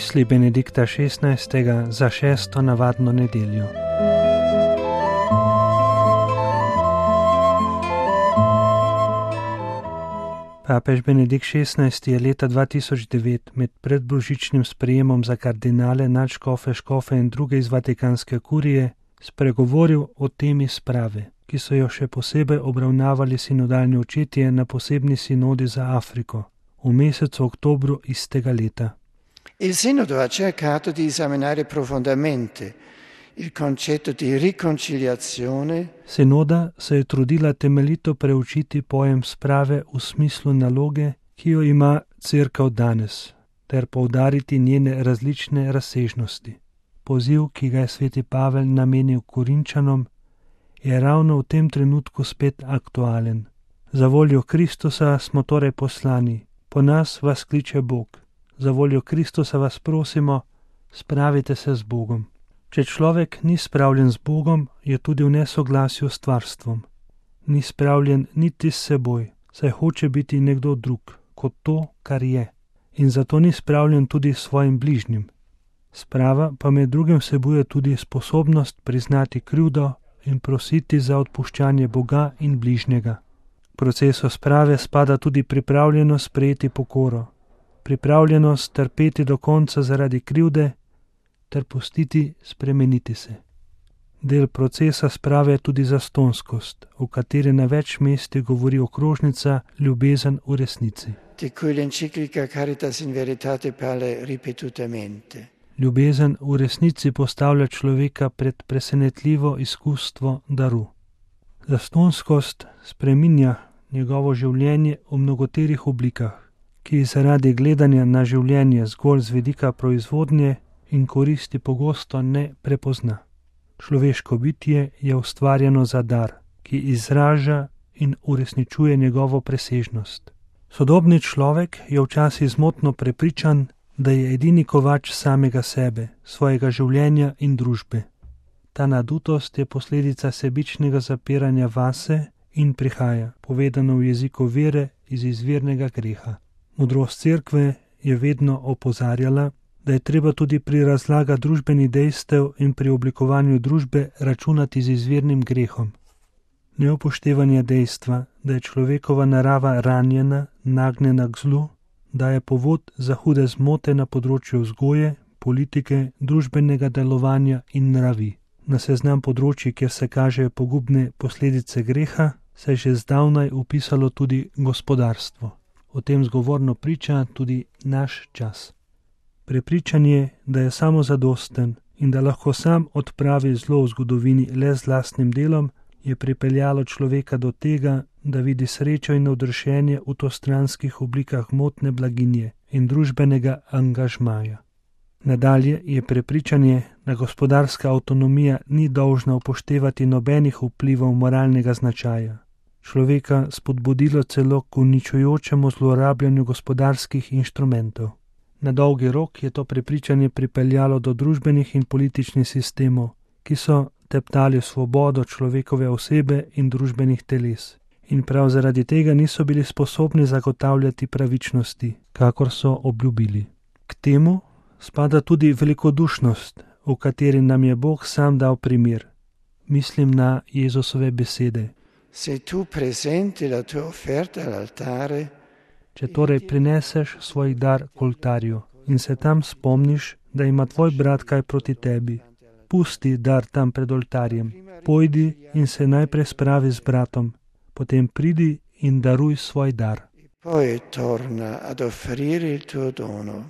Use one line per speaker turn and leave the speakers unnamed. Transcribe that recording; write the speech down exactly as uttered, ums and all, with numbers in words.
Misli Benedikta šestnajstega za šesto navadno nedeljo. Papež Benedikt šestnajsti je leta dva tisoč devet med predbožičnim sprejemom za kardinale, nadškofe, škofe in druge iz Vatikanske kurije spregovoril o temi sprave, ki so jo še posebej obravnavali sinodalni očetje na posebni sinodi za Afriko v mesecu oktobru istega leta.
Il sinodo ha cercato di esaminare profondamente il concetto di riconciliazione.
Sinoda se je trudila temeljito preučiti pojem sprave v smislu naloge, ki jo ima Cerkev danes, ter poudariti njene različne razsežnosti. Poziv, ki ga je sveti Pavel namenil Korinčanom, je ravno v tem trenutku spet aktualen. Za voljo Kristusa smo torej poslani, po nas vas kliče Bog. Za voljo Kristusa vas prosimo, spravite se z Bogom. Če človek ni spravljen z Bogom, je tudi v nesoglasju s stvarstvom. Ni spravljen niti s seboj, saj hoče biti nekdo drug, kot to, kar je. In zato ni spravljen tudi s svojim bližnjim. Sprava pa med drugim vsebuje tudi sposobnost priznati krivdo in prositi za odpuščanje Boga in bližnjega. V procesu sprave spada tudi pripravljenost sprejeti pokoro, pripravljenost trpeti do konca zaradi krivde ter pustiti spremeniti se. Del procesa sprave je tudi zastonskost, v kateri na več mestih govori okrožnica Ljubezen v resnici.
Di cui l'enciclica Caritas in Veritate parla ripetutamente.
Ljubezen v resnici postavlja človeka pred presenetljivo izkustvo daru. Zastonskost spreminja njegovo življenje v mnogoterih oblikah, ki zaradi gledanja na življenje zgolj z vidika proizvodnje in koristi pogosto ne prepozna. Človeško bitje je ustvarjeno za dar, ki izraža in uresničuje njegovo presežnost. Sodobni človek je včasih zmotno prepričan, da je edini kovač samega sebe, svojega življenja in družbe. Ta nadutost je posledica sebičnega zapiranja vase in prihaja, povedano v jeziku vere, iz izvirnega greha. Modrost Cerkve je vedno opozarjala, da je treba tudi pri razlagah družbenih dejstev in pri oblikovanju družbe računati z izvirnim grehom. Neupoštevanje dejstva, da je človekova narava ranjena, nagnjena k zlu, daje povod za hude zmote na področju vzgoje, politike, družbenega delovanja in nravi. Na seznam področji, kjer se kažejo pogubne posledice greha, se je že zdavnaj upisalo tudi gospodarstvo. O tem zgovorno priča tudi naš čas. Prepričanje, da je samozadosten in da lahko sam odpravi zlo v zgodovini le z lastnim delom, je pripeljalo človeka do tega, da vidi srečo in navdušenje v tostranskih oblikah motne blaginje in družbenega angažmaja. Nadalje je prepričanje, da gospodarska avtonomija ni dolžna upoštevati nobenih vplivov moralnega značaja. Človeka spodbudilo celo k uničujočemu zlorabljanju gospodarskih inštrumentov. Na dolgi rok je to prepričanje pripeljalo do družbenih in političnih sistemov, ki so teptali svobodo človekove osebe in družbenih teles. In prav zaradi tega niso bili sposobni zagotavljati pravičnosti, kakor so obljubili. K temu spada tudi velikodušnost, v kateri nam je Bog sam dal primer. Mislim na Jezusove besede.
Se tu presenti la tua offerta all'altare,
če torej prineseš svoj dar k oltarju in se tam spomniš, da ima tvoj brat kaj proti tebi, pusti dar tam pred oltarjem, pojdi in se najprej spravi z bratom, potem pridi in daruj svoj dar.
Poi torna ad offrire il tuo dono.